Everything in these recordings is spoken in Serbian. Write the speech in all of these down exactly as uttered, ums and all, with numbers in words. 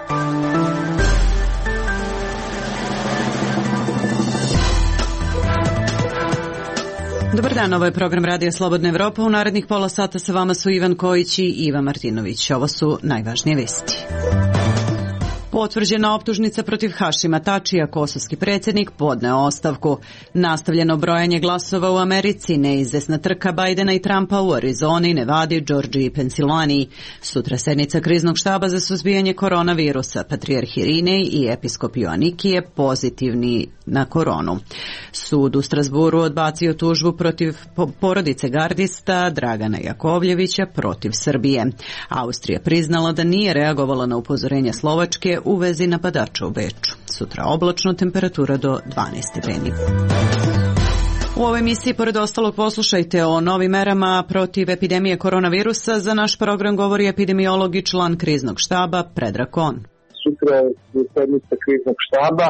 Dobar dan, ovo je program Radija Slobodna Evropa. U narednih pola sata sa vama su Ivan Kojić i Iva Martinović. Ovo su najvažnije vesti. Potvrđena optužnica protiv Hašima Tačija, kosovski predsjednik podneo ostavku. Nastavljeno brojanje glasova u Americi, neizvesna trka Bajdena i Trumpa u Arizoni, Nevadi, Džordžiji i Pensilvaniji. Sutra sednica kriznog štaba za suzbijanje koronavirusa. Patrijarh Irinej i episkop Joanikije pozitivni na koronu. Sud u Strasburu odbacio tužbu protiv porodice gardista Dragana Jakovljevića protiv Srbije. Austrija priznala da nije reagovala na upozorenja Slovačke u vezi napadača u Beču. Sutra oblačno, temperatura do dvanaest stepeni. U ovoj emisiji, pored ostalog, poslušajte o novim merama protiv epidemije koronavirusa. Za naš program govori epidemiolog i član kriznog štaba Predrag Kon. Sutra je sednica kriznog štaba.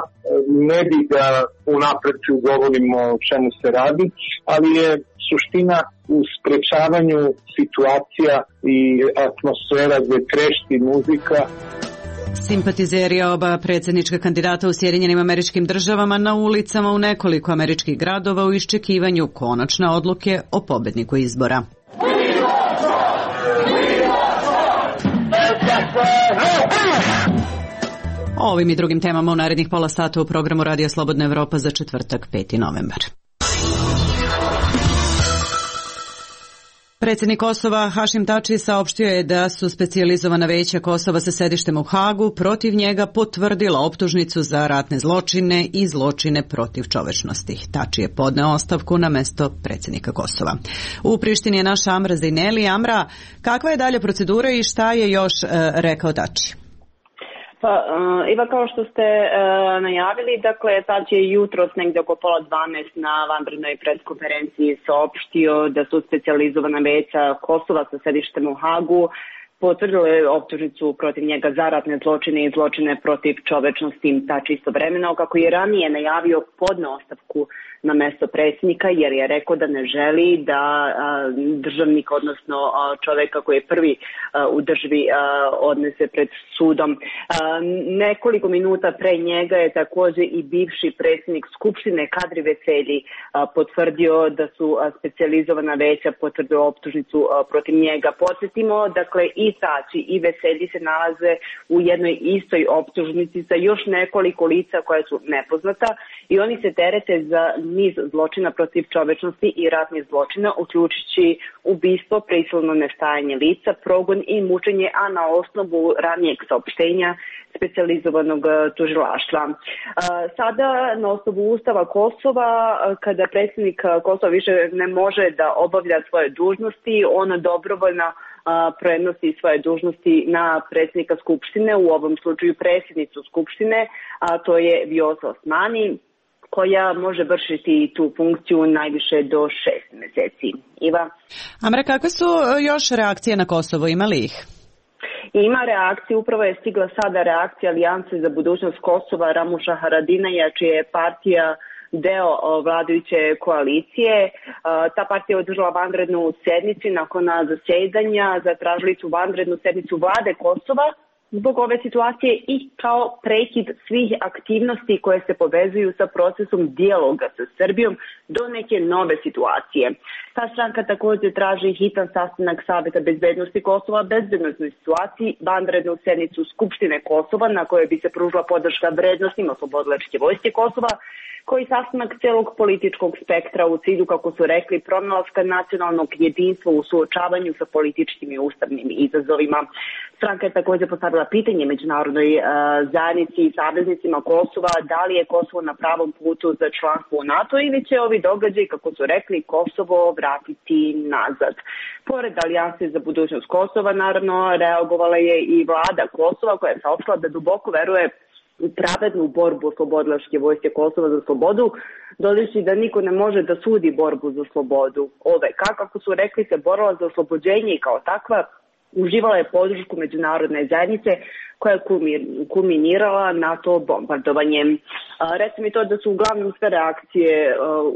Ne bi da unapred govorimo o čemu se radi, ali je suština u sprečavanju situacija i atmosfera gdje trešti muzika. Simpatizeri oba predsjednička kandidata u Sjedinjenim Američkim Državama na ulicama u nekoliko američkih gradova u iščekivanju konačne odluke o pobedniku izbora. O ovim i drugim temama u narednih pola sata u programu Radija Slobodna Evropa za četvrtak, peti novembar. Predsjednik Kosova Hašim Tači saopštio je da su specijalizovana veća Kosova sa sedištem u Hagu protiv njega potvrdila optužnicu za ratne zločine i zločine protiv čovečnosti. Tači je podneo ostavku na mesto predsjednika Kosova. U Prištini je naša Amra Zejneli. Amra, kakva je dalje procedura i šta je još e, rekao Tači? Pa, uh, Iva, kao što ste uh, najavili, dakle, sad je jutros negdje oko pola dvanaest na vanrednoj preskonferenciji saopštio da su specijalizovana veća Kosova sa sedištem u Hagu potvrdile optužnicu protiv njega za ratne zločine i zločine protiv čovečnosti. Tači istovremeno, kako je ranije najavio, podneo ostavku na mesto predsjednika jer je rekao da ne želi da a, državnik, odnosno a, čovjeka koji je prvi a, u državi a, odnese pred sudom. A, nekoliko minuta pre njega je također i bivši predsjednik Skupštine Kadri Veselji a, potvrdio da su a, specijalizovana veća potvrdila optužnicu a, protiv njega. Podsjetimo, dakle, i Tači i Veselji se nalaze u jednoj istoj optužnici sa još nekoliko lica koja su nepoznata i oni se terete za niz zločina protiv čovečnosti i ratnih zločina, uključujući ubistvo, prisilno nestajanje lica, progon i mučenje, a na osnovu ranijeg saopštenja specijalizovanog tužilaštva. Sada, na osnovu Ustava Kosova, kada predsjednik Kosova više ne može da obavlja svoje dužnosti, on dobrovoljno prenosi svoje dužnosti na predsjednika Skupštine, u ovom slučaju predsjednicu Skupštine, a to je Vjosa Osmani, koja može vršiti tu funkciju najviše do šest mjeseci. Iva? Amra, kakve su još reakcije na Kosovo? Ima li ih? Ima reakcije, upravo je stigla sada reakcija Alijanse za budućnost Kosova Ramuša Haradinaja, čija je partija deo vladajuće koalicije. Ta partija je održala vanrednu sednicu, nakon zasjedanja zatražili su vanrednu sednicu vlade Kosova zbog ove situacije i kao prekid svih aktivnosti koje se povezuju sa procesom dijaloga sa Srbijom do neke nove situacije. Ta stranka također traži hitan sastanak Saveta bezbednosti Kosova, bezbednostnoj situaciji, vanrednu sednicu Skupštine Kosova na kojoj bi se pružila podrška vrednostima Oslobodilačke vojske Kosova, koji sastanak celog političkog spektra u cilju, kako su rekli, pronalaska nacionalnog jedinstva u suočavanju sa političkim i ustavnim izazovima. Stranka je također postavila pitanje međunarodnoj uh, zajednici i saveznicima Kosova da li je Kosovo na pravom putu za članstvo u NATO ili će ovi događaji, kako su rekli, Kosovo vratiti nazad. Pored Alijanse za budućnost Kosova, naravno, reagovala je i vlada Kosova koja je saopštila da duboko veruje u pravednu borbu Oslobodilačke vojske Kosova za slobodu, dodajući da niko ne može da sudi borbu za slobodu. Ove, kako su rekli, se borila za oslobođenje i kao takva uživala je podršku međunarodne zajednice, koja je kulminirala NATO bombardovanjem. Recimo mi to da su uglavnom sve reakcije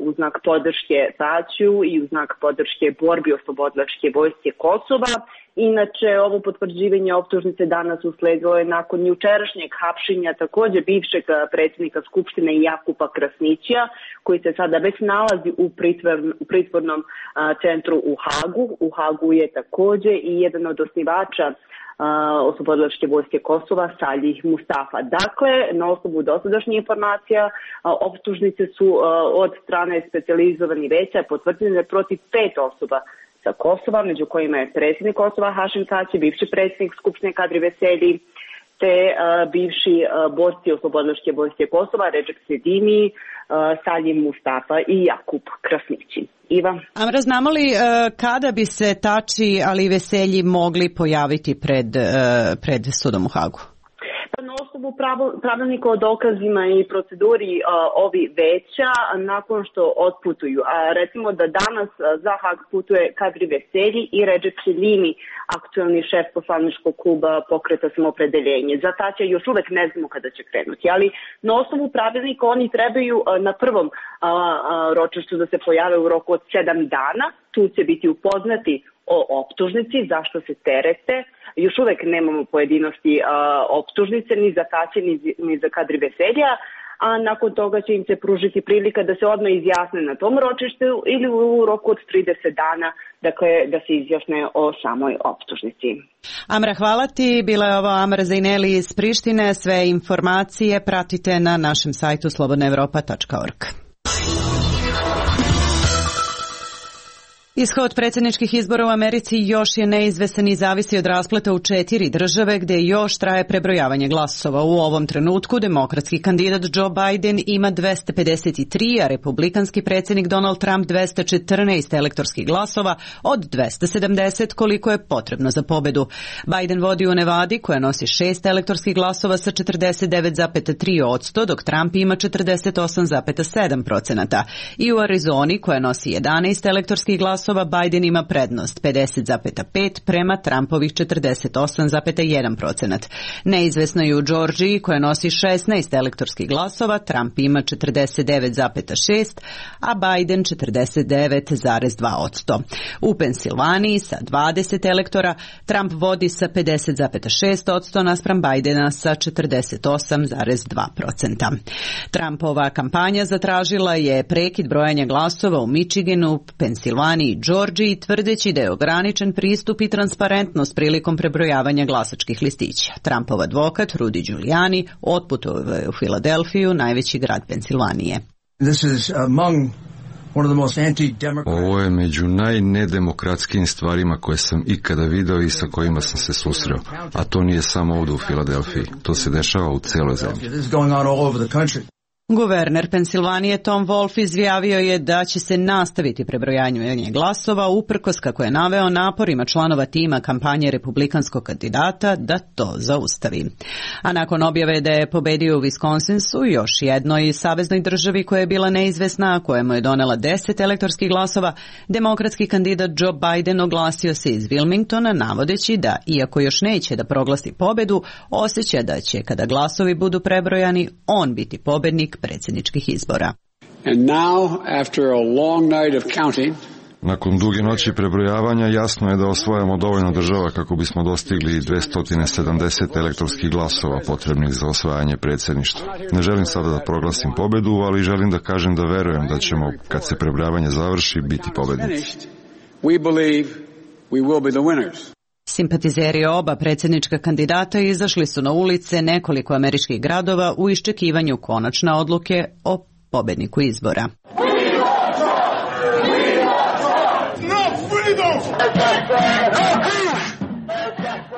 u znak podrške Tačiu i u znak podrške borbi oslobodilačke vojske Kosova. Inače, ovo potvrđivanje optužnice danas usledilo je nakon jučerašnjeg hapšenja također bivšeg predsjednika Skupštine Jakupa Krasnića, koji se sada već nalazi u, pritvor, u pritvornom a, centru u Hagu. U Hagu je također i jedan od osnivača oslobodilačke vojske Kosova, Salih Mustafa. Dakle, na osnovu dosadašnjih informacija, optužnice su od strane specijalizovanih veća potvrđene protiv pet osoba sa Kosova, među kojima je predsjednik Kosova Hašim Tači, bivši predsjednik Skupštine Kadri Veselji, te uh, bivši uh, borci oslobodilačke vojske Kosova, Redžep Sedimi, uh, Salim Mustafa i Jakub Krasnići. Iva? Amra, znamo li uh, kada bi se Tači, ali i Veselji mogli pojaviti pred, uh, pred sudom u Hagu? Na osnovu pravilnika o dokazima i proceduri a, ovi veća nakon što otputuju. A recimo da danas a, za Hag putuje Kadri Veselji i Redžep Selimi, aktualni šef poslaničkog kluba Pokreta Samoopredeljenje. Za Tačija još uvek ne znamo kada će krenuti, ali na osnovu pravilnika oni trebaju a, na prvom a, a, ročištu da se pojave u roku od sedam dana. Tu će biti upoznati o optužnici, zašto se terete. Još uvek nemamo pojedinosti a, optužnice ni za Tačija ni, ni za Kadri Veselja, a nakon toga će im se pružiti prilika da se odmah izjasne na tom ročištu ili u roku od trideset dana, dakle da se izjasne o samoj optužnici. Amra, hvala ti. Bila je ovo Amra Zajneli iz Prištine. Sve informacije pratite na našem sajtu slobodna evropa tačka org. Ishod predsjedničkih izbora u Americi još je neizvestan i zavisi od raspleta u četiri države gdje još traje prebrojavanje glasova. U ovom trenutku demokratski kandidat Joe Biden ima dvesta pedeset tri, a republikanski predsjednik Donald Trump dvesta četrnaest elektorskih glasova od dvesta sedamdeset koliko je potrebno za pobedu. Biden vodi u Nevadi koja nosi šest elektorskih glasova sa četrdeset devet zarez tri posto, dok Trump ima četrdeset osam zarez sedam posto. I u Arizoni koja nosi jedanaest elektorskih glasova Biden ima prednost pedeset zarez pet prema Trumpovih četrdeset osam zarez jedan posto. Neizvesno je u Georgiji koja nosi šesnaest elektorskih glasova, Trump ima četrdeset devet zarez šest, a Biden četrdeset devet zarez dva posto. U Pensilvaniji sa dvadeset elektora Trump vodi sa pedeset zarez šest posto naspram Bidena sa četrdeset osam zarez dva posto. Trumpova kampanja zatražila je prekid brojanja glasova u Michiganu, Pensilvaniji i Georgiji, tvrdeći da je ograničen pristup i transparentnost prilikom prebrojavanja glasačkih listića. Trumpov advokat Rudy Giuliani otputovao je u Filadelfiju, najveći grad Pensilvanije. This is among one of the most anti-democratic. Ovo je među najnedemokratskim stvarima koje sam ikada video i sa kojima sam se susreo. A to nije samo ovdje u Filadelfiji. To se dešava u cijeloj zemlji. This is going on all over the country. Guverner Pensilvanije Tom Wolf izjavio je da će se nastaviti prebrojanje glasova uprkos, kako je naveo, naporima članova tima kampanje republikanskog kandidata da to zaustavi. A nakon objave da je pobedio u Wisconsinsu, još jednoj saveznoj državi koja je bila neizvesna, a kojemu je donela deset elektorskih glasova, demokratski kandidat Joe Biden oglasio se iz Wilmingtona navodeći da, iako još neće da proglasi pobedu, osjeća da će, kada glasovi budu prebrojani, on biti pobednik predsjedničkih izbora. And now, after a long night of counting, nakon duge noći prebrojavanja jasno je da osvajamo dovoljno država kako bismo dostigli dvesta sedamdeset elektorskih glasova potrebnih za osvajanje predsjedništva. Ne želim sada da proglasim pobedu, ali želim da kažem da verujem da ćemo, kad se prebrojavanje završi, biti pobednici. We believe we will be the winners. Simpatizeri oba predsjednička kandidata izašli su na ulice nekoliko američkih gradova u iščekivanju konačne odluke o pobedniku izbora.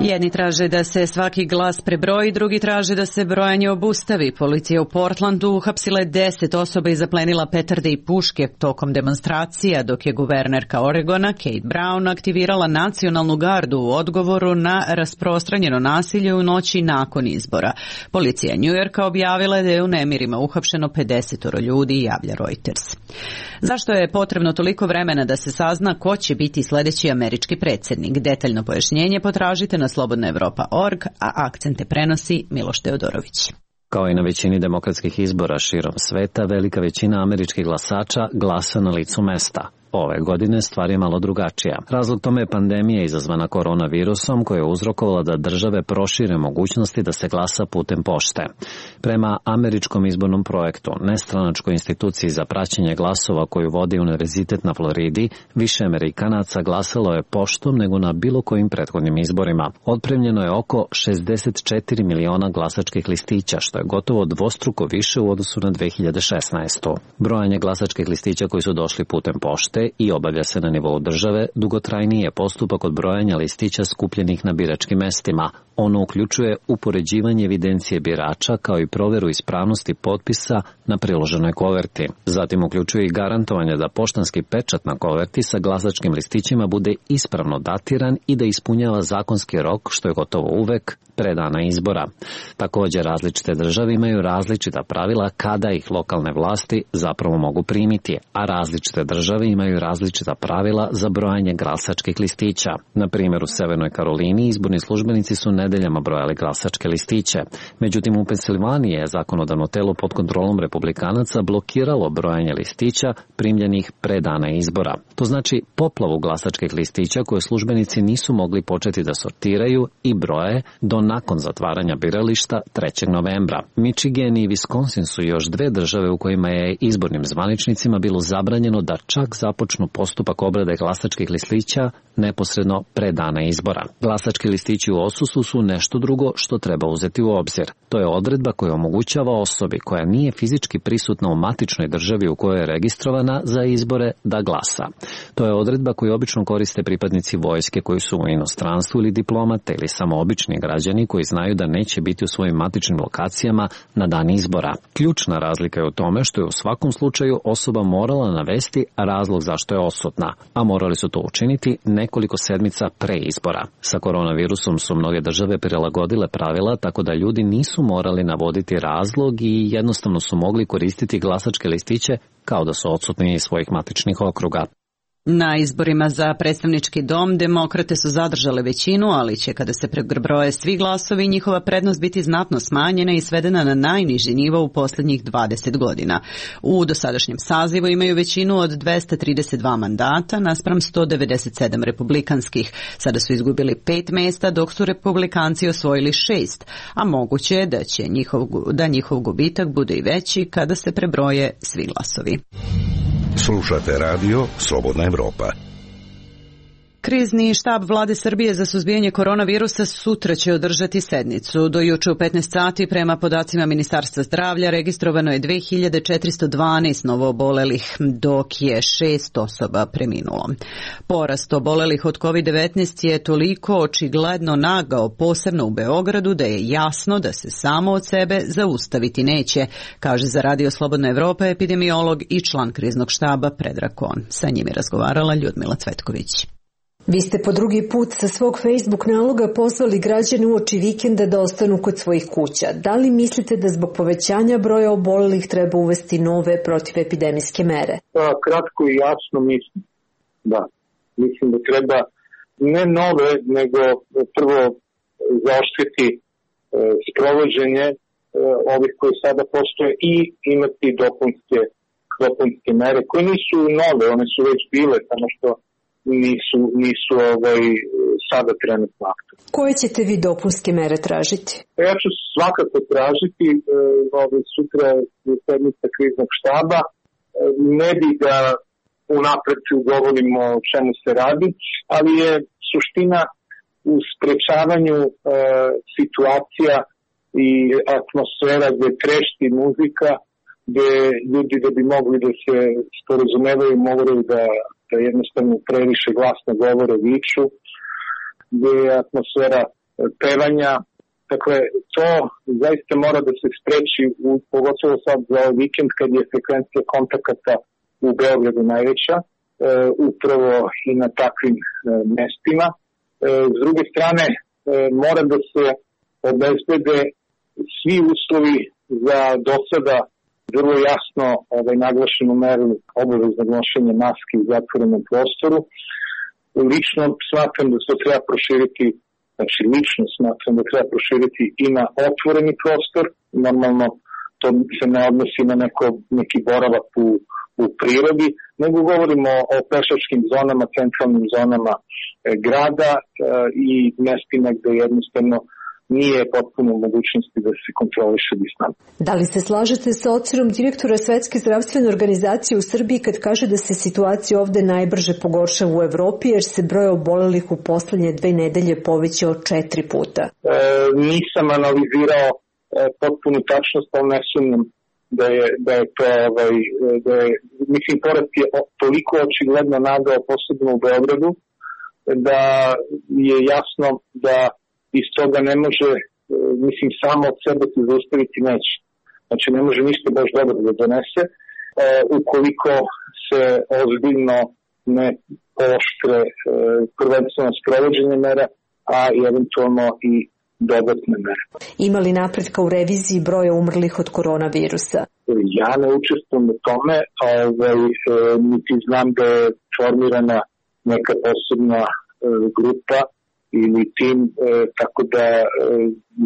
Jedni traže da se svaki glas prebroji, drugi traže da se brojanje obustavi. Policija u Portlandu uhapsila je deset osoba i zaplenila petarde i puške tokom demonstracija, dok je guvernerka Oregona Kate Brown aktivirala nacionalnu gardu u odgovoru na rasprostranjeno nasilje u noći nakon izbora. Policija New Yorka objavila da je u nemirima uhapšeno pedeset ljudi, javlja Reuters. Zašto je potrebno toliko vremena da se sazna ko će biti sljedeći američki predsjednik? Detaljno pojašnjenje potražite na slobodna evropa tačka org, a akcente prenosi Miloš Teodorović. Kao i na većini demokratskih izbora širom sveta, velika većina američkih glasača glasa na licu mesta. Ove godine stvar je malo drugačija. Razlog tome je pandemija izazvana koronavirusom koja je uzrokovala da države prošire mogućnosti da se glasa putem pošte. Prema američkom izbornom projektu, nestranačkoj instituciji za praćenje glasova koju vodi Univerzitet na Floridi, više Amerikanaca glasalo je poštom nego na bilo kojim prethodnim izborima. Otpremljeno je oko šezdeset četiri miliona glasačkih listića, što je gotovo dvostruko više u odnosu na dve hiljade šesnaestu. Brojanje glasačkih listića koji su došli putem pošte i obavlja se na nivou države, dugotrajniji je postupak od brojanja listića skupljenih na biračkim mestima. Ono uključuje upoređivanje evidencije birača kao i proveru ispravnosti potpisa na priloženoj koverti. Zatim uključuje i garantovanje da poštanski pečat na koverti sa glasačkim listićima bude ispravno datiran i da ispunjava zakonski rok, što je gotovo uvek pre dana izbora. Također, različite države imaju različita pravila kada ih lokalne vlasti zapravo mogu primiti, a različite države imaju različita pravila za brojanje glasačkih listića. Na primjer, u Severnoj Karolini izborni službenici su nedeljama brojali glasačke listiće. Međutim, u Pensilvaniji je zakonodavno telo pod kontrolom republikanaca blokiralo brojanje listića primljenih pre dana izbora. To znači poplavu glasačkih listića koje službenici nisu mogli početi da sortiraju i broje do nakon zatvaranja birališta trećeg novembra. Michigan i Wisconsin su još dve države u kojima je izbornim zvaničnicima bilo zabranjeno da čak započnu postupak obrade glasačkih listića neposredno pre dana izbora. Glasački listići u osusu su nešto drugo što treba uzeti u obzir. To je odredba koja omogućava osobi koja nije fizički prisutna u matičnoj državi u kojoj je registrovana za izbore da glasa. To je odredba koju obično koriste pripadnici vojske koji su u inostranstvu ili diplomate ili samo obični građani koji znaju da neće biti u svojim matičnim lokacijama na dan izbora. Ključna razlika je u tome što je u svakom slučaju osoba morala navesti razlog zašto je odsutna, a morali su to učiniti nekoliko sedmica pre izbora. Sa koronavirusom su mnoge države prilagodile pravila tako da ljudi nisu morali navoditi razlog i jednostavno su mogli koristiti glasačke listiće kao da su odsutni iz svojih matičnih okruga. Na izborima za predstavnički dom demokrate su zadržale većinu, ali će kada se prebroje svi glasovi njihova prednost biti znatno smanjena i svedena na najniži nivo u posljednjih dvadeset godina. U dosadašnjem sazivu imaju većinu od dvesta trideset dva mandata naspram sto devedeset sedam republikanskih. Sada su izgubili pet mesta dok su republikanci osvojili šest, a moguće je da će njihov, da njihov gubitak bude i veći kada se prebroje svi glasovi. Slušate radio Slobodna Evropa. Krizni štab vlade Srbije za suzbijanje koronavirusa sutra će održati sednicu. Do juče u petnaest sati prema podacima Ministarstva zdravlja registrovano je dve hiljade četiristo dvanaest novoobolelih, dok je šest osoba preminulo. Porast obolelih od kovid devetnaest je toliko očigledno nagao, posebno u Beogradu, da je jasno da se samo od sebe zaustaviti neće, kaže za Radio Slobodna Evropa epidemiolog i član kriznog štaba Predrag Kon. Sa njim je razgovarala Ljudmila Cvetković. Vi ste po drugi put sa svog Facebook naloga pozvali građane uoči vikenda da ostanu kod svojih kuća. Da li mislite da zbog povećanja broja obolelih treba uvesti nove protivepidemijske mere? Pa, kratko i jasno mislim da. Mislim da treba ne nove, nego prvo zaoštriti e, sprovođenje e, ovih koji sada postoje i imati dopunske, dopunske mere koje nisu nove, one su već bile, samo što nisu, nisu ovaj, sada trenutno aktualne. Koje ćete vi dopunske mere tražiti? Ja ću svakako tražiti e, ovaj, sutra je sednica kriznog štaba. E, ne bi da unapred govorimo o čemu se radi, ali je suština u sprečavanju e, situacija i atmosfera gde trešti muzika, gde ljudi da bi mogli da se sporazumevaju moraju da da jednostavno previše glasno govore, viču, gdje je atmosfera pevanja. Dakle, to zaista mora da se spreči, u, pogotovo sad za ovaj vikend kad je frekvencija kontakata u Beogradu najveća, e, upravo i na takvim e, mestima. E, s druge strane, e, mora da se obezbede svi uslovi za do sada vrlo jasno ovaj, naglašenu meru obaveznog nošenja maske u zatvorenom prostoru. Lično smatram da se treba proširiti, znači lično smatram da treba proširiti i na otvoreni prostor. Normalno to se ne odnosi na neko, neki boravak u, u prirodi, nego govorimo o pešačkim zonama, centralnim zonama e, grada e, i mestima gde jednostavno nije potpuno u mogućnosti da se kontroliše distanca. Da li se slažete sa ocenom direktora Svetske zdravstvene organizacije u Srbiji kad kaže da se situacija ovde najbrže pogoršava u Evropi jer se broj obolelih u poslednje dve nedelje povećao četiri puta? E, nisam analizirao e, potpunu tačnost, ali ne sumnjam da je, da je to, ovaj, da je, mislim, porast je toliko očigledno nagao, posebno u Beogradu, da je jasno da iz toga ne može, mislim, samo od sebe se zaustaviti neće. Znači, ne može ništa baš dobro da donese, e, ukoliko se ozbiljno ne pooštre e, prvenstveno sprovođenje mera, a i eventualno i dodatne mere. Ima li napretka u reviziji broja umrlih od koronavirusa? Ja ne učestvujem u tome, ovaj, e, niti znam da je formirana neka posebna e, grupa ili tim, e, tako da e,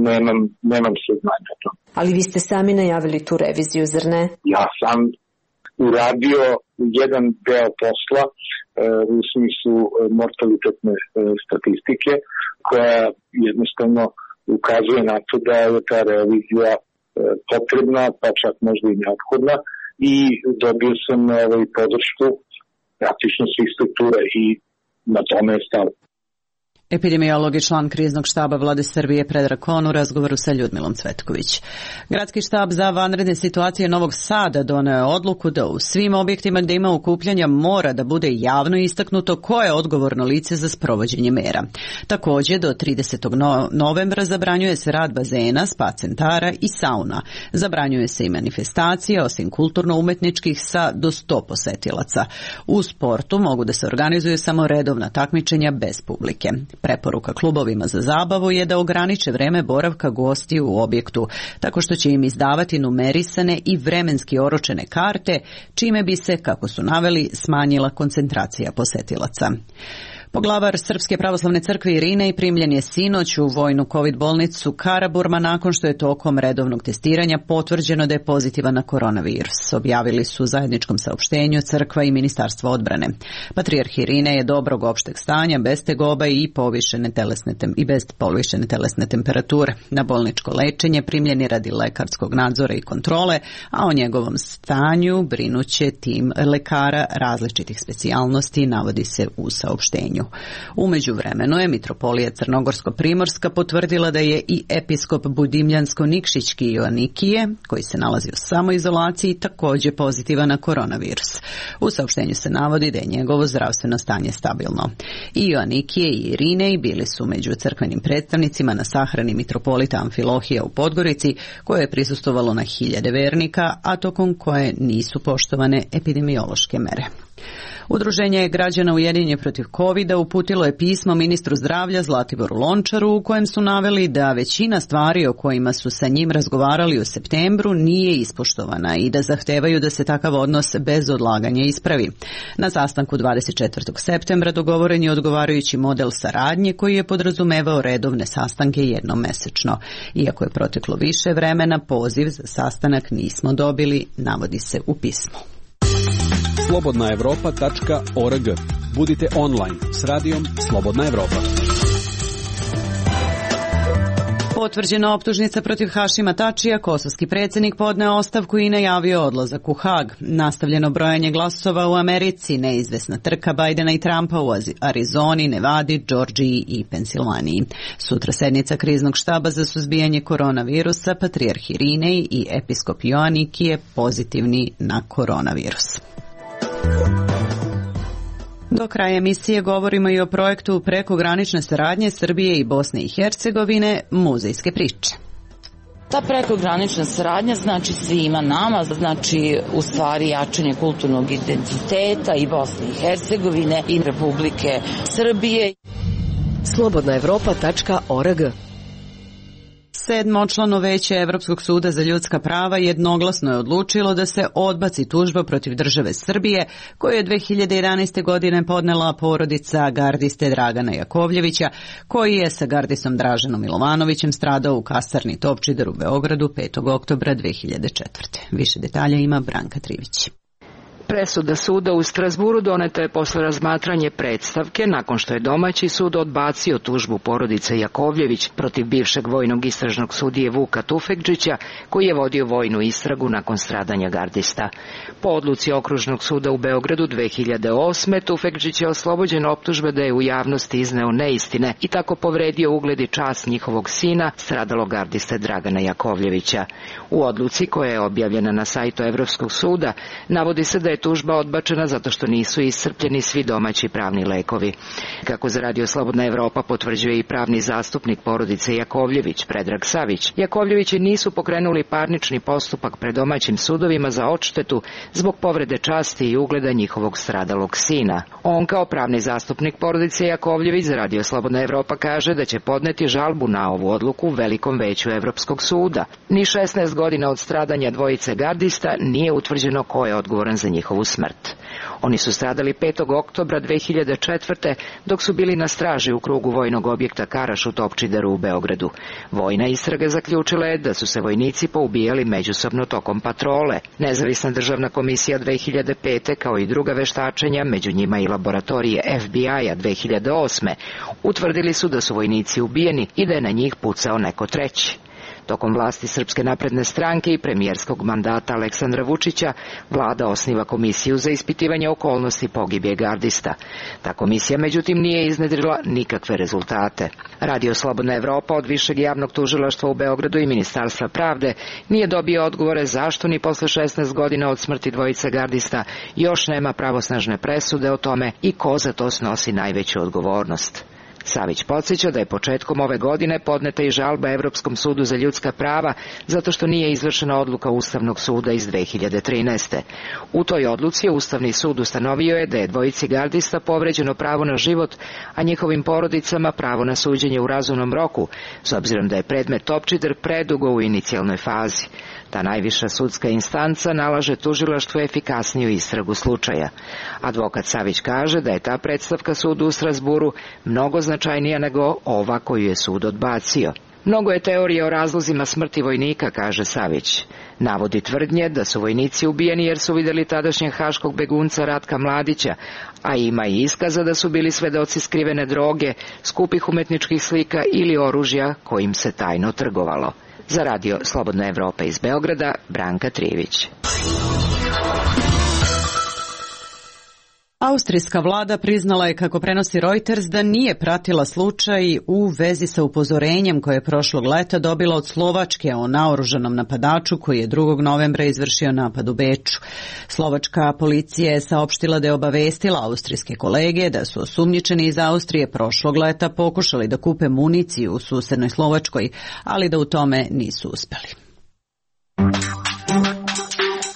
nemam, nemam saznanja o tom. Ali vi ste sami najavili tu reviziju, zar ne? Ja sam uradio jedan deo posla e, u smislu mortalitetne e, statistike, koja jednostavno ukazuje na to da je ta revizija e, potrebna, pa čak možda i neophodna, i dobio sam ovaj, podršku praktično svih struktura i na tome je stalo. Epidemiolog i član kriznog štaba Vlade Srbije Predrag Kon u razgovoru sa Ljudmilom Cvetković. Gradski štab za vanredne situacije Novog Sada doneo je odluku da u svim objektima gde ima okupljanja mora da bude javno istaknuto ko je odgovorno lice za sprovođenje mera. Takođe, do tridesetog novembra zabranjuje se rad bazena, spa centara i sauna. Zabranjuje se i manifestacije, osim kulturno-umetničkih, sa do sto posetilaca. U sportu mogu da se organizuju samo redovna takmičenja bez publike. Preporuka klubovima za zabavu je da ograniče vreme boravka gostiju u objektu, tako što će im izdavati numerisane i vremenski oročene karte, čime bi se, kako su naveli, smanjila koncentracija posetilaca. Poglavar Srpske pravoslavne crkve Irinej primljen je sinoć u vojnu COVID bolnicu Karaburma nakon što je tokom redovnog testiranja potvrđeno da je pozitivan na koronavirus. Objavili su u zajedničkom saopštenju crkva i Ministarstvo odbrane. Patrijarh Irinej je dobrog opšteg stanja, bez tegoba i povišene telesne tem, i bez povišene telesne temperature. Na bolničko lečenje primljen je radi lekarskog nadzora i kontrole, a o njegovom stanju brinuće tim lekara različitih specijalnosti, navodi se u saopštenju. U međuvremenu je mitropolija Crnogorsko-Primorska potvrdila da je i episkop Budimljansko-Nikšićki Joanikije, koji se nalazi u samoizolaciji, takođe pozitivan na koronavirus. U saopštenju se navodi da je njegovo zdravstveno stanje stabilno. I Joanikije i Irinej bili su među crkvenim predstavnicima na sahrani mitropolita Amfilohija u Podgorici, koje je prisustvovalo na hiljade vernika, a tokom koje nisu poštovane epidemiološke mere. Udruženje građana Ujedinjeni protiv kovida uputilo je pismo ministru zdravlja Zlatiboru Lončaru u kojem su naveli da većina stvari o kojima su sa njim razgovarali u septembru nije ispoštovana i da zahtevaju da se takav odnos bez odlaganja ispravi. Na sastanku dvadeset četvrtog septembra dogovoren je odgovarajući model saradnje koji je podrazumevao redovne sastanke jednom mesečno. Iako je proteklo više vremena, poziv za sastanak nismo dobili, navodi se u pismu. slobodna evropa tačka org. Budite online s radijom Slobodna Evropa. Potvrđena optužnica protiv Hašima Tačija, kosovski predsjednik podneo ostavku i najavio odlazak u Hag. Nastavljeno brojanje glasova u Americi, neizvesna trka Bajdena i Trumpa u Arizoni, Nevadi, Džordžiji i Pensilvaniji. Sutra sednica kriznog štaba za suzbijanje koronavirusa, patrijarh Irinej i episkop Joanikije pozitivni na koronavirus. Do kraja emisije govorimo i o projektu prekogranične saradnje Srbije i Bosne i Hercegovine, muzejske priče. Ta prekogranična saradnja znači svima nama, znači u stvari jačanje kulturnog identiteta i Bosne i Hercegovine i Republike Srbije. slobodna evropa tačka org Sedmočlano veće Evropskog suda za ljudska prava jednoglasno je odlučilo da se odbaci tužba protiv države Srbije koju je dve hiljade jedanaeste. godine podnela porodica gardiste Dragana Jakovljevića, koji je sa gardisom Draženom Milovanovićem stradao u kasarni Topčider u Beogradu petog oktobra dve hiljade četvrte. Više detalja ima Branka Trivić. Presuda suda u Strazburu doneta je posle razmatranje predstavke nakon što je domaći sud odbacio tužbu porodice Jakovljević protiv bivšeg vojnog istražnog sudije Vuka Tufekđića, koji je vodio vojnu istragu nakon stradanja gardista. Po odluci Okružnog suda u Beogradu dve hiljade osme. Tufekđić je oslobođen optužbe da je u javnosti izneo neistine i tako povredio ugled i čast njihovog sina, stradalog gardiste Dragana Jakovljevića. U odluci koja je objavljena na sajtu Evropskog suda navodi se da je tužba odbačena zato što nisu iscrpljeni svi domaći pravni lekovi. Kako za Radio Slobodna Evropa potvrđuje i pravni zastupnik porodice Jakovljević, Predrag Savić, Jakovljevići nisu pokrenuli parnični postupak pred domaćim sudovima za odštetu zbog povrede časti i ugleda njihovog stradalog sina. On kao pravni zastupnik porodice Jakovljević za Radio Slobodna Evropa kaže da će podneti žalbu na ovu odluku u Velikom veću Evropskog suda. Ni šesnaest godina od stradanja dvojice gardista nije utvrđeno ko je odgovoran za njihovu smrt. Oni su stradali petog oktobra dve hiljade četvrte. dok su bili na straži u krugu vojnog objekta Karaš u Topčideru u Beogradu. Vojna istraga zaključila je da su se vojnici poubijali međusobno tokom patrole. Nezavisna državna komisija dve hiljade pete. kao i druga veštačenja, među njima i laboratorije F B I-a dve hiljade osme. utvrdili su da su vojnici ubijeni i da je na njih pucao neko treći. Tokom vlasti Srpske napredne stranke i premijerskog mandata Aleksandra Vučića, vlada osniva komisiju za ispitivanje okolnosti pogibije gardista. Ta komisija, međutim, nije iznedrila nikakve rezultate. Radio Slobodna Evropa od Višeg javnog tužilaštva u Beogradu i Ministarstva pravde nije dobio odgovore zašto ni posle šesnaest godina od smrti dvojice gardista još nema pravosnažne presude o tome i ko za to snosi najveću odgovornost. Savić podsjeća da je početkom ove godine podneta i žalba Evropskom sudu za ljudska prava zato što nije izvršena odluka Ustavnog suda iz dve hiljade trinaeste. U toj odluci Ustavni sud ustanovio je da je dvojici gardista povređeno pravo na život, a njihovim porodicama pravo na suđenje u razumnom roku, s obzirom da je predmet Topčider predugo u inicijalnoj fazi. Ta najviša sudska instanca nalaže tužilaštvu efikasniju istragu slučaja. Advokat Savić kaže da je ta predstavka sudu u Strazburu mnogo značajnija nego ova koju je sud odbacio. Mnogo je teorije o razlozima smrti vojnika, kaže Savić. Navodi tvrdnje da su vojnici ubijeni jer su vidjeli tadašnjeg haškog begunca Ratka Mladića, a ima i iskaza da su bili svedoci skrivene droge, skupih umetničkih slika ili oružja kojim se tajno trgovalo. Za Radio Slobodna Evropa iz Beograda, Branka Trivić. Austrijska vlada priznala je, kako prenosi Reuters, da nije pratila slučaj u vezi sa upozorenjem koje je prošlog leta dobila od Slovačke o naoružanom napadaču koji je drugog novembra izvršio napad u Beču. Slovačka policija je saopštila da je obavestila austrijske kolege da su osumnjičeni iz Austrije prošlog leta pokušali da kupe municiju u susednoj Slovačkoj, ali da u tome nisu uspeli.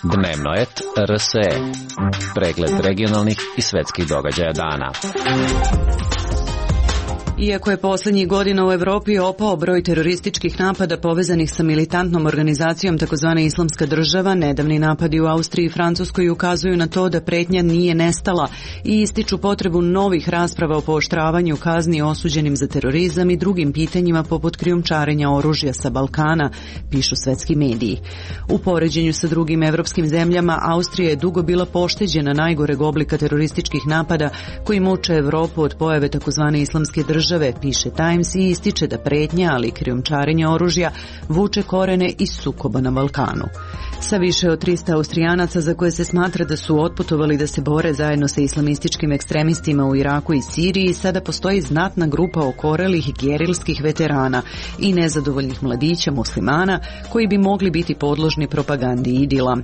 Dnevno et R S E. Pregled regionalnih i svetskih događaja dana. Iako je posljednjih godina u Evropi opao broj terorističkih napada povezanih sa militantnom organizacijom takozvane Islamska država, nedavni napadi u Austriji i Francuskoj ukazuju na to da pretnja nije nestala i ističu potrebu novih rasprava o pooštravanju kazni osuđenim za terorizam i drugim pitanjima poput krijumčarenja oružja sa Balkana, pišu svetski mediji. U poređenju sa drugim evropskim zemljama, Austrija je dugo bila pošteđena najgoreg oblika terorističkih napada koji muče Evropu od pojave takozvane Islamske države, piše Times, i ističe da pretnja, ali i krijumčarenje oružja vuče korene iz sukoba na Balkanu. Sa više od trista Austrijanaca za koje se smatra da su otputovali da se bore zajedno sa islamističkim ekstremistima u Iraku i Siriji, sada postoji znatna grupa okorelih gerilskih veterana i nezadovoljnih mladića muslimana koji bi mogli biti podložni propagandi idila.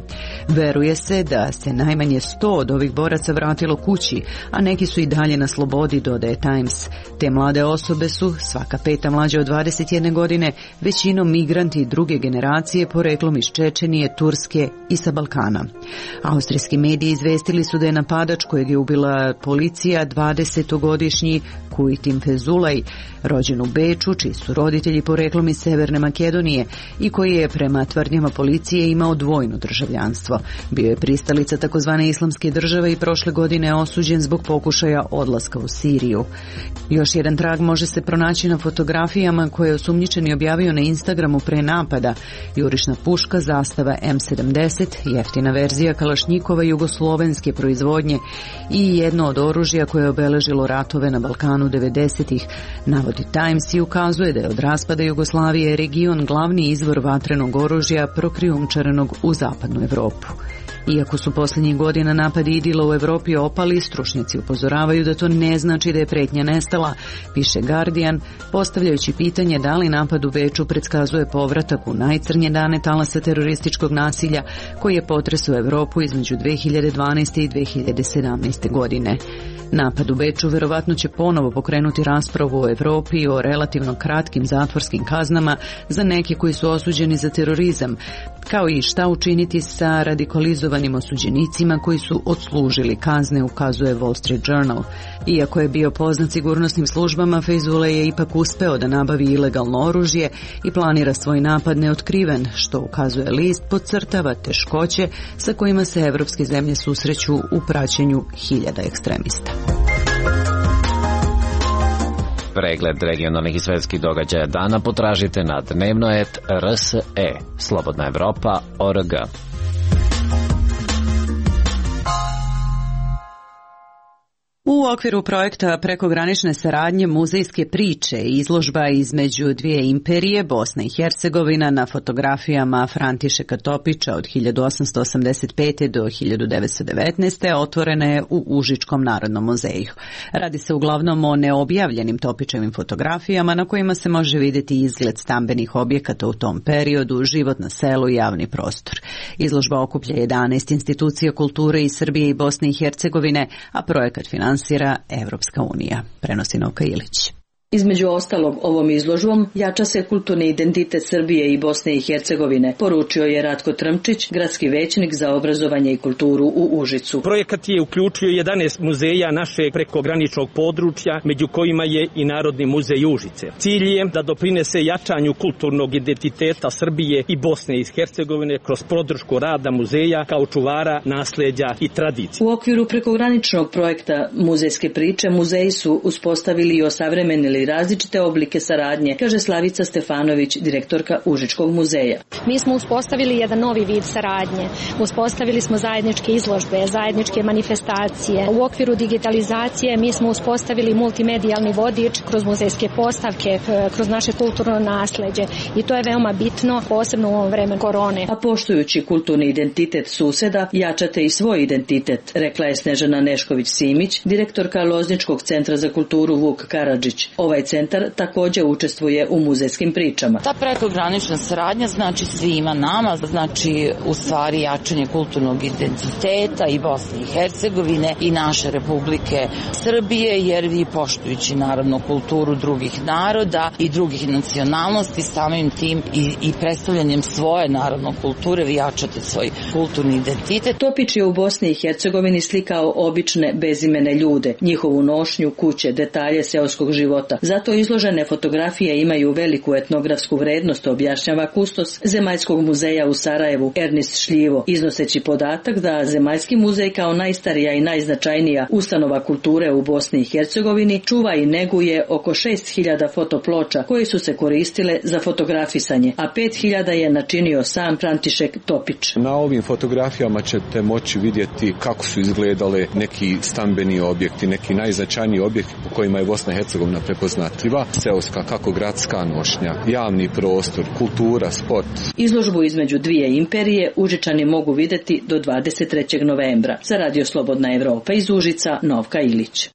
Veruje se da se najmanje sto od ovih boraca vratilo kući, a neki su i dalje na slobodi, dodaje Times. Te mlade Mlade osobe su, svaka peta mlađa od dvadeset jedne godine, većinom migranti druge generacije poreklom iz Čečenije, Turske i sa Balkana. Austrijski mediji izvestili su da je napadač kojeg je ubila policija dvadesetogodišnji Kujtim Fezulaj, rođen u Beču, čiji su roditelji poreklom iz Severne Makedonije i koji je prema tvrdnjama policije imao dvojno državljanstvo. Bio je pristalica takozvane islamske države i prošle godine osuđen zbog pokušaja odlaska u Siriju. Još jedan trag može se pronaći na fotografijama koje je osumnjičeni objavio na Instagramu pre napada. Jurišna puška, zastava em sedamdeset, jeftina verzija kalašnjikova jugoslovenske proizvodnje i jedno od oružja koje je obeležilo ratove na Balkanu devedesetih. Navodi Times i ukazuje da je od raspada Jugoslavije region glavni izvor vatrenog oružja prokrijumčarenog u zapadnu Evropu. Iako su posljednjih godina napadi idila u Evropi opali, stručnjaci upozoravaju da to ne znači da je pretnja nestala, piše Guardian, postavljajući pitanje da li napad u Beču predskazuje povratak u najcrnje dane talasa terorističkog nasilja koji je potresao Evropu između dve hiljade dvanaeste i dve hiljade sedamnaeste. godine. Napad u Beču verovatno će ponovo pokrenuti raspravu o Evropi i o relativno kratkim zatvorskim kaznama za neke koji su osuđeni za terorizam, kao i šta učiniti sa radikalizovanim osuđenicima koji su odslužili kazne, ukazuje Wall Street Journal. Iako je bio poznat sigurnosnim službama, Fezulaj je ipak uspeo da nabavi ilegalno oružje i planira svoj napad neotkriven, što ukazuje list podcrtava teškoće sa kojima se evropske zemlje susreću u praćenju hiljada ekstremista. Pregled regionalnih i svetskih događaja dana potražite na dnevnoet R S E, Slobodna Evropa tačka org. U okviru projekta prekogranične saradnje muzejske priče i izložba između dvije imperije, Bosna i Hercegovina, na fotografijama Františeka Topića od hiljadu osamsto osamdeset pete. do hiljadu devetsto devetnaeste. otvorena je u Užičkom narodnom muzeju. Radi se uglavnom o neobjavljenim Topićevim fotografijama na kojima se može vidjeti izgled stambenih objekata u tom periodu, život na selu i javni prostor. Izložba okuplja jedanaest institucija kulture iz Srbije i Bosne i Hercegovine, a projekat finansira Evropska unija, prenosi Novka Ilić. Između ostalog, ovom izložbom jača se kulturni identitet Srbije i Bosne i Hercegovine, poručio je Ratko Trmčić, gradski većnik za obrazovanje i kulturu u Užicu. Projekat je uključio jedanaest muzeja našeg prekograničnog područja, među kojima je i Narodni muzej Užice. Cilj je da doprinese jačanju kulturnog identiteta Srbije i Bosne i Hercegovine kroz podršku rada muzeja kao čuvara nasleđa i tradicije. U okviru prekograničnog projekta muzejske priče muzeji su uspostavili i osavremenili različite oblike saradnje, kaže Slavica Stefanović, direktorka Užičkog muzeja. Mi smo uspostavili jedan novi vid saradnje. Uspostavili smo zajedničke izložbe, zajedničke manifestacije. U okviru digitalizacije mi smo uspostavili multimedijalni vodič kroz muzejske postavke, kroz naše kulturno nasleđe i to je veoma bitno, posebno u ovom vremenu korone. A poštujući kulturni identitet suseda, jačate i svoj identitet, rekla je Snežana Nešković-Simić, direktorka Lozničkog centra za kulturu Vuk Karadžić. Ovaj centar također učestvuje u muzejskim pričama. Ta prekogranična saradnja znači svima nama, znači u stvari jačanje kulturnog identiteta i Bosne i Hercegovine i naše Republike Srbije, jer vi poštujući naravno kulturu drugih naroda i drugih nacionalnosti, samim tim i, i predstavljanjem svoje naravno kulture vi jačate svoj kulturni identitet. Topić je u Bosni i Hercegovini slikao obične bezimene ljude, njihovu nošnju, kuće, detalje seoskog života. Zato izložene fotografije imaju veliku etnografsku vrednost, objašnjava kustos Zemaljskog muzeja u Sarajevu Ernest Šljivo, iznoseći podatak da Zemaljski muzej kao najstarija i najznačajnija ustanova kulture u Bosni i Hercegovini čuva i neguje oko šest hiljada fotoploča koje su se koristile za fotografisanje, a pet hiljada je načinio sam František Topić. Na ovim fotografijama ćete moći vidjeti kako su izgledale neki stambeni objekti, neki najznačajniji objekti po kojima je Bosna i Hercegovina prepoznatljiva, seoska kako gradska nošnja, javni prostor, kultura, sport. Izložbu između dvije imperije Užičani mogu vidjeti do dvadeset trećeg novembra. Za Radio Slobodna Evropa iz Užica, Novka Ilić.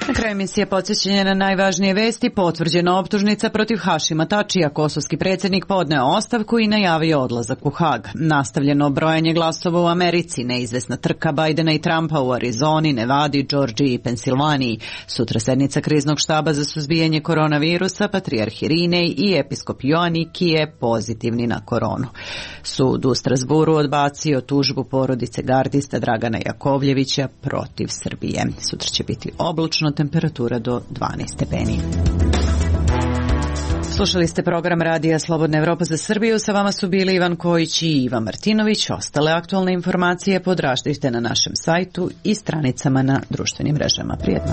Na kraju emisije podsjećanje na najvažnije vesti. Potvrđena optužnica protiv Hašima Tačija. Kosovski predsjednik podneo ostavku i najavio odlazak u Hag. Nastavljeno brojanje glasova u Americi. Neizvesna trka Bajdena i Trumpa u Arizoni, Nevadi, Džordžiji i Pensilvaniji. Sutra sednica kriznog štaba za suzbijanje koronavirusa. Patrijarh Irinej i episkop Joaniki je pozitivni na koronu. Sud u Strasburu odbacio tužbu porodice gardista Dragana Jakovljevića protiv Srbije. Sutra će biti oblačno, temperatura do dvanaest stepeni. Slušali ste program Radija Slobodna Evropa za Srbiju. Sa vama su bili Ivan Kojić i Iva Martinović. Ostale aktualne informacije potražite na našem sajtu i stranicama na društvenim mrežama. Prijetno.